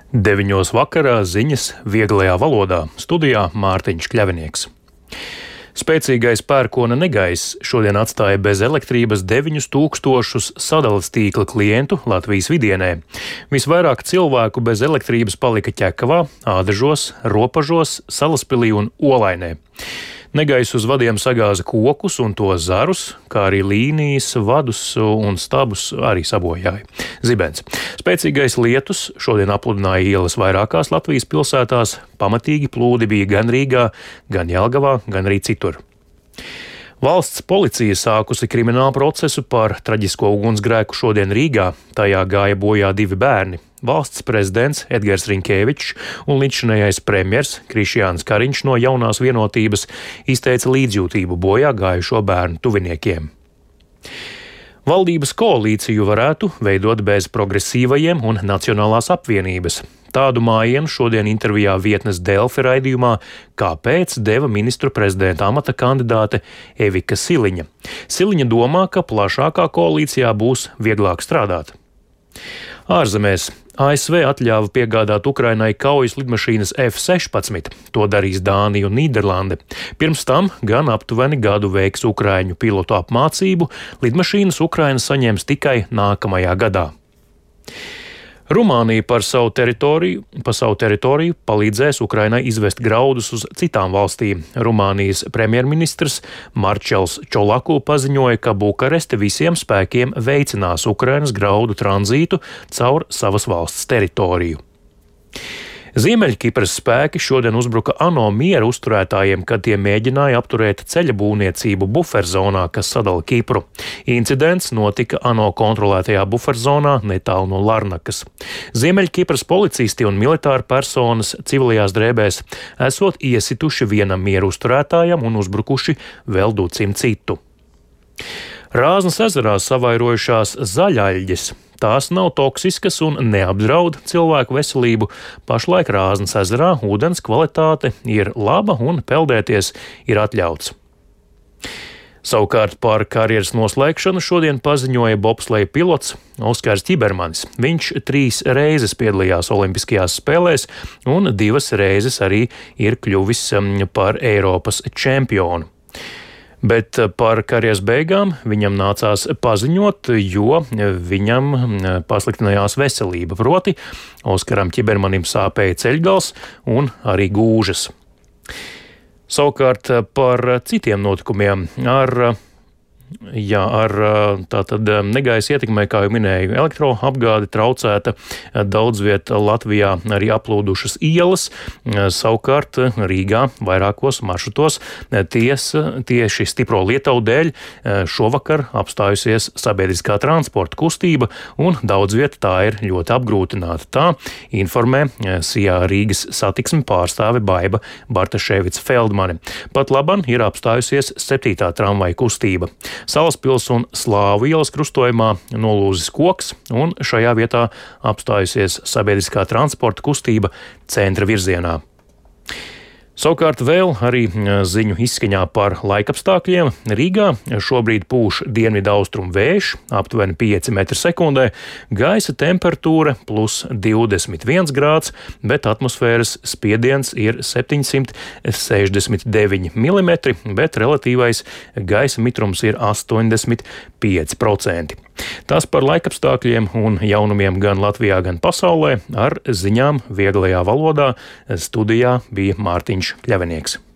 9 vakarā ziņas vieglajā valodā. Studijā Mārtiņš Kļavinieks. Spēcīgais pērkona negaiss šodien atstāja bez elektrības 9000 sadales tīkla klientu Latvijas vidienē. Visvairāk cilvēku bez elektrības palika Ķekavā, Ādažos, Ropažos, Salaspilī un Olainē. Negaiss uz vadiem sagāza kokus un to zarus, kā arī līnijas, vadus un stabus arī sabojāja. Zibens. Spēcīgais lietus šodien apludināja ielas vairākās Latvijas pilsētās, pamatīgi plūdi bija gan Rīgā, gan Jelgavā, gan arī citur. Valsts policija sākusi kriminālu procesu par traģisko ugunsgrēku šodien Rīgā. Tajā gāja bojā 2 bērni. Valsts prezidents Edgars Rinkēvičs un līdzšinējais premjers Krišjāns Kariņš no Jaunās vienotības izteica līdzjūtību bojā gājušo bērnu tuviniekiem. Valdības koalīciju varētu veidot bez progresīvajiem un Nacionālās apvienības. Tādu mājienu šodien intervijā vietnes Delfi raidījumā Kāpēc deva ministru prezidenta amata kandidāte Evika Siliņa. Siliņa domā, ka plašākā koalīcijā būs vieglāk strādāt. Ārzemēs ASV atļāva piegādāt Ukrainai kaujas lidmašīnas F-16. To darīs Dānija un Nīderlande. Pirms tam gan aptuveni gadu veiks ukraiņu pilotu apmācību, lidmašīnas Ukraina saņems tikai nākamajā gadā. Rumānija pa savu teritoriju palīdzēs Ukrainai izvest graudus uz citām valstīm. Rumānijas premjerministrs Marčels Čolaku paziņoja, ka Bukareste visiem spēkiem veicinās Ukrainas graudu tranzītu caur savas valsts teritoriju. Ziemeļkipras spēki šodien uzbruka ANO miera uzturētājiem, kad tie mēģināja apturēt ceļa būvniecību buferzonā, kas sadala Kipru. Incidents notika ANO kontrolētajā buferzonā netālu no Larnakas. Ziemeļkipras policisti un militāri personas civilajās drēbēs esot iesituši vienam miera uzturētājam un uzbrukuši vēl 200 citu. Rāznas ezerā savairojušās zaļaļģes. Tās nav toksiskas un neapdraud cilvēku veselību. Pašlaik Rāznas ezerā ūdens kvalitāte ir laba un peldēties ir atļauts. Savukārt par karjeras noslēgšanu šodien paziņoja bobsleja pilots Oskars Ķibermanis. Viņš 3 reizes piedalījās Olimpiskajās spēlēs un 2 reizes arī ir kļuvis par Eiropas čempionu. Bet par karjeras beigām viņam nācās paziņot, jo viņam pasliktinājās veselība. Proti, Oskaram Ķibermanim sāpēja ceļgals un arī gūžas. Savukārt par citiem notikumiem ar negaisa ietekmē, kā jau minēju, elektroapgāde traucēta, daudz viet Latvijā arī aplūdušas ielas, savukārt Rīgā vairākos maršrutos tieši stipro lietavu dēļ šovakar apstājusies sabiedriskā transporta kustība un daudz viet tā ir ļoti apgrūtināta. Tā informē Sijā Rīgas satiksmi pārstāve Baiba Bartaševica Feldmane. Pat laban ir apstājusies 7. tramvaja kustība. Salaspils un Slāvu ielas krustojumā nolūzis koks, un šajā vietā apstājusies sabiedriskā transporta kustība centra virzienā. Savukārt vēl arī ziņu izskaņā par laikapstākļiem. Rīgā šobrīd pūš dienvidaustrumu vējš, aptuveni 5 m/sekundē, gaisa temperatūra plus 21 grāds, bet atmosfēras spiediens ir 769 mm, bet relatīvais gaisa mitrums ir 85%. Tas par laikapstākļiem un jaunumiem gan Latvijā, gan pasaulē ar ziņām vieglajā valodā studijā bija Mārtiņš Kļavinieks.